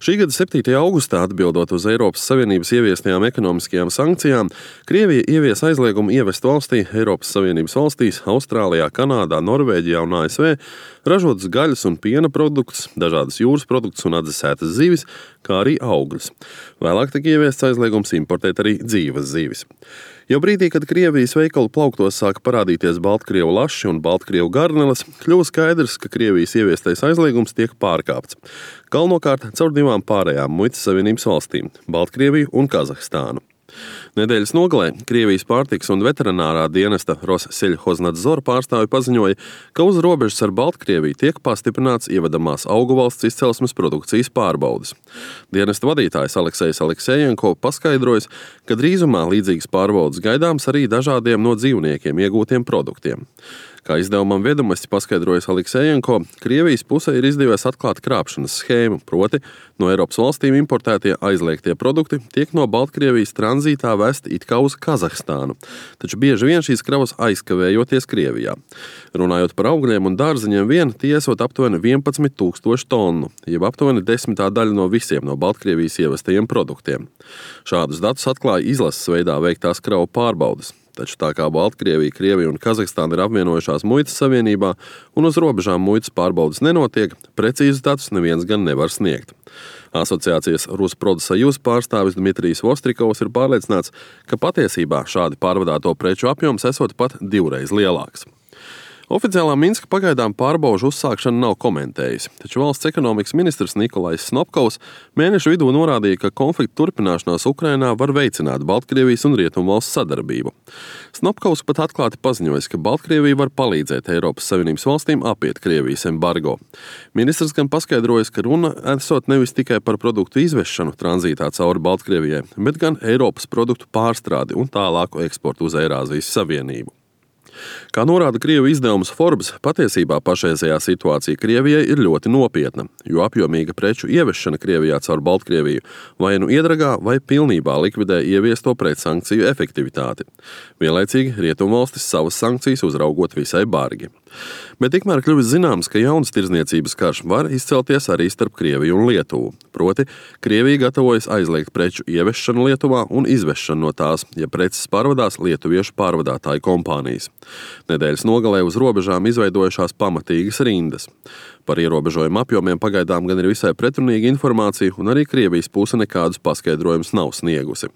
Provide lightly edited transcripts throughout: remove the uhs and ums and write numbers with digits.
Šī gada 7. augustā, atbildot uz Eiropas Savienības ieviestajām ekonomiskajām sankcijām, Krievija ievies aizliegumu ievest valstī, Eiropas Savienības valstīs, Austrālijā, Kanādā, Norvēģijā un ASV ražotas gaļas un piena produktus, dažādas jūras produktus un atdzesētas zivis, kā arī augļus. Vēlāk tika ieviests aizliegums importēt arī dzīvas zivis. Jau brīdī, kad Krievijas veikalu plauktos sāka parādīties baltkrievu laši un baltkrievu garneles, kļuva skaidrs, ka Krievijas ieviestais aizliegums tiek pārkāpts. Galvenokārt caur divām pārējām muitas savienības valstīm – Baltkrieviju un Kazahstānu. Nedēļas nogalē Krievijas pārtikas un veterinārā dienesta Rossельхознадзор pārstāvi paziņoja, ka uz robežas ar Baltkrieviju tiek pastiprināts ievedamās augu valsts izcelsmes produkcijas pārbaudes. Dienesta vadītājs Aleksejs Aleksejenko paskaidrojas, ka drīzumā līdzīgas pārbaudes gaidāms arī dažādiem no dzīvniekiem iegūtiem produktiem. Kā izdevumam Viedumasts paskaidrojas Aleksejenko, Krievijas pusē ir izdevies atklāt krāpšanas schēmu, proti no Eiropas valstīm importētie aizliegtie produkti tiek no Baltkrievijas tranzītā vesti it kā uz Kazahstānu, taču bieži vien šīs kravas aizkavējoties Krievijā. Runājot par augļiem un dārzeņiem vien, tie esot aptuveni 11 000 tonu, jeb aptuveni 10. daļa no visiem no Baltkrievijas ievestajiem produktiem. Šādus datus atklāja izlases veidā veiktās kravu pārbaudes. Taču tā kā Baltkrievija, Krievija un Kazahstāna ir apvienojušās muitas savienībā un uz robežām muitas pārbaudes nenotiek, precīzus datus neviens gan nevar sniegt. Asociācijas Rusprodsajūz pārstāvis Dmitrijs Vostrikovs ir pārliecināts, ka patiesībā šādi pārvadāto preču apjoms esot pat 2 lielāks. Oficiālā Minska pagaidām pārbaužu uzsākšanu nav komentējusi, taču valsts ekonomikas ministrs Nikolais Snopkovs mēneša vidū norādīja, ka konflikta turpināšanās Ukrainā var veicināt Baltkrievijas un Rietumvalstu sadarbību. Snopkovs pat atklāti paziņojis, ka Baltkrievija var palīdzēt Eiropas Savienības valstīm apiet Krievijas embargo. Ministrs gan paskaidrojas, ka runa esot nevis tikai par produktu izvešanu tranzītā cauri Baltkrievijai, bet gan Eiropas produktu pārstrādi un tālāku eksportu uz Eirāzijas Savienību. Kā norāda Krievu izdevums Forbes, patiesībā pašreizējā situācija Krievijai ir ļoti nopietna, jo apjomīga preču ievešana Krievijā caur Baltkrieviju vai nu iedragā vai pilnībā likvidē ieviesto pretsankciju efektivitāti. Vienlaicīgi Rietumvalstis savas sankcijas uzraugot visai bargi. Bet tikmēr kļuvis zināms, ka jauns tirdzniecības karš var izcelties arī starp Krieviju un Lietuvu. Proti, Krievija gatavojas aizliegt preču ievešanu Lietuvā un izvešanu no tās, ja preces pārvadās lietuviešu pārvadātāju kompānijas. Nedēļas nogalē uz robežām izveidojušās pamatīgas rindas. Par ierobežojumu apjomiem pagaidām gan ir visai pretrunīga informācija, un arī Krievijas puse nekādus paskaidrojumus nav sniegusi.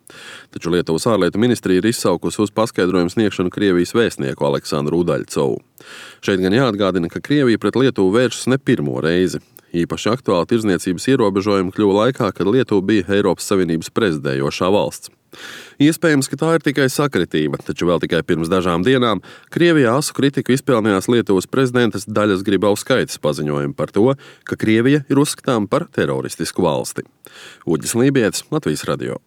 Taču Lietuvas ārlietu ministrija ir izsaukusi uz paskaidrojumu sniegšanu Krievijas vēstnieku Aleksandru Udaļcovu. Šeit gan jāatgādina, ka Krievija pret Lietuvu vēršas ne pirmo reizi. Īpaši aktuāli tirdzniecības ierobežojumi kļuva laikā, kad Lietuva bija Eiropas Savienības prezidējošā valsts. Iespējams, ka tā ir tikai sakritība, taču vēl tikai pirms dažām dienām Krievijā asu kritiku izpelnījās Lietuvas prezidentas Daļas Gribauskaites paziņojumu par to, ka Krievija ir uzskatāma par teroristisku valsti. Uģis Lībietis, Latvijas radio.